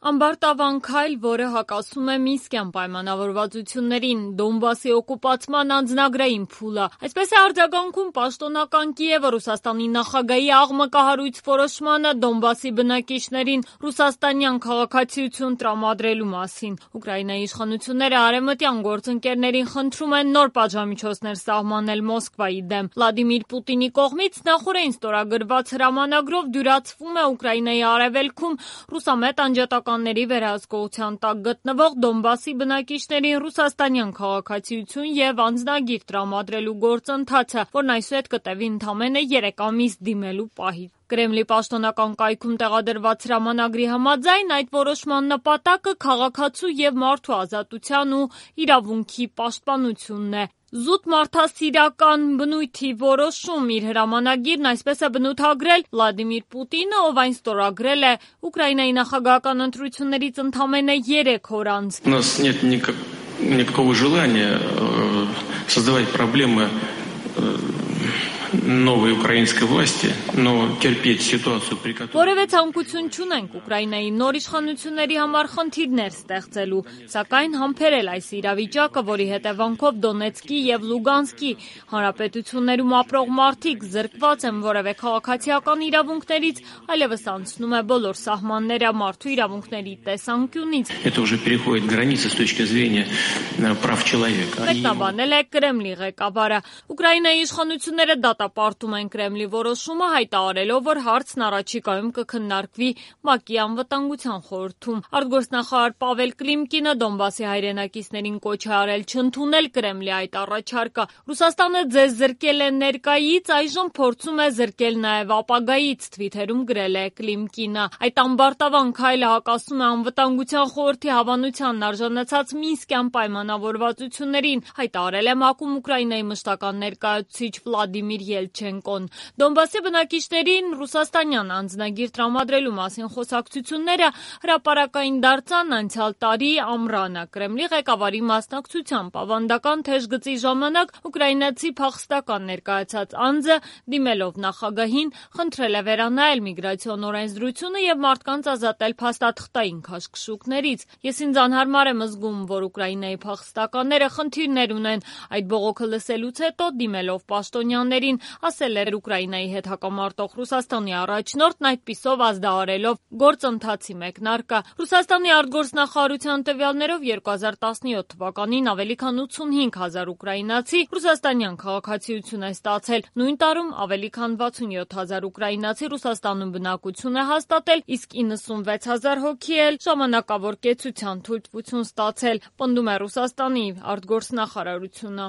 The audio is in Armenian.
Ամբարտավան քայլ, որը հակասում է Մինսկյան պայմանավորվածություններին, Դոնբասի օկուպացման անձնագրային փուլը։ Այսպես է արձագանքում պաշտոնական Կիևը Ռուսաստանի նախագահի աղմկահարույց որոշմանը Դոնբասի բնակիչներին ռուսաստանյան քաղաքացիություն տրամադրելու մասին։ Ուկրաինայի իշխանությունները արևմտյան գործընկերներին խնդրում են նոր պատժամիջոցներ սահմանել Մոսկվայի դեմ։ Վլադիմիր Պուտինի կողմից նախօրեին ստորագրված հրամանագրով դյուրացվում է Ուկրաինայի արևելքում ռուսամետ անջատականների վերահսկողության տակ գտնվող Դոնբասի բնակիչներին ռուսաստանյան քաղաքացիություն և անձնագիր տրամադրելու գործընթացը, որն այսուհետ կտևի ընդամենը 3 ամիս դիմելու պահից։ Կրեմլի պաշտոնական կայքում տեղադրված հրամանագրի համաձայն այդ որոշման նպատակը քաղաքացու և մարդու ազատության ու իրավունքի պաշտպանությունն է։ Զուտ մարդասիրական բնույթի որոշում իր հրամանագիրն այսպես է բնութագրել Վլադիմիր Պուտինը, ով այն ստորագրել է Ուկրաինայի նախագահական ընտրություններից ընդամենը 3 օր անց։ У нас нет никакого желания создавать проблемы новой украинской власти, но терпеть ситуацию, при которой... Որևէ ցանկություն չունենք Ուկրաինայի նոր իշխանությունների համար խնդիրներ ստեղծելու, սակայն համբերել այս իրավիճակը, որի հետևանքով Դոնեցկի և Լուգանսկի հանրապետություններում ապրող մարդիկ զրկված են որևէ քաղաքացիական իրավունքներից, այլևս անցնում է բոլոր սահմանները մարդու իրավունքների տեսանկյունից։ Это уже переходит границы с точки зрения прав человека. Մեկնաբանել է Կրեմլի ղեկավարը։ Ուկրաինայի իշխանությունները դատապարտում են Կրեմլի որոշումը, հայտարարելով, որ հարցն առաջիկայում կքննարկվի ՄԱԿ-ի անվտանգության խորհրդում։ Արտգործնախարար Պավել Կլիմկինը Դոնբասի հայրենակիցներին կոչ է արել չընդունել Կրեմլի այդ առաջարկը։ Ռուսաստանը ձեզ զրկել է ներկայից, այժմ փորձում է զրկել նաև ապագայից, թվիթերում գրել է Կլիմկինը։ Այդ ամբարտավան քայլը հակասում է անվտանգության խորհրդի հավանությանն արժանացած Մինսկյան պայմանավորվածություններին, հայտարարել է ՄԱԿ-ում Ուկրաինայի մշտական ներկայացուցիչ Վլադիմիր Ելչենկոն։ Դոնբասի բնակիչներին ռուսաստանյան անձնագիր տրամադրելու մասին խոսակցությունները հրապարակային դարձան անցյալ տարի ամռանը։ Կրեմլի ղեկավարի մասնակցությամբ ավանդական թեժ գծի ժամանակ ուկրաինացի փախստական ներկայացած անձը դիմելով նախագահին խնդրել է վերանայել միգրացիոն օրենսդրությունը և մարդկանց ազատել փաստաթղթային քաշքշուկներից։ Ես ինձ անհարմար եմ զգում, որ Ուկրաինայի փախստականները խնդիրներ ունեն։ Այդ բողոքը լսելուց հետո դիմելով պաշտոնյաներին, ասել էր Ուկրաինայի հետ հակամարտող Ռուսաստանի առաջնորդն, այդպիսով ազդարարելով գործընթացի մեկնարկը։ Ռուսաստանի արտգործնախարարության տվյալներով 2017 թվականին ավելի քան 85 հազար ուկրաինացի ռուսաստանյան քաղաքացիություն է ստացել։ Նույն տարում ավելի քան 67 հազար ուկրաինացի Ռուսաստանում բնակություն է հաստատել, իսկ 96 հազար հոգի էլ ժամանակավոր կեցության թույլտվություն ստացել, պնդում է Ռուսաստանի արտգործնախարարությունը։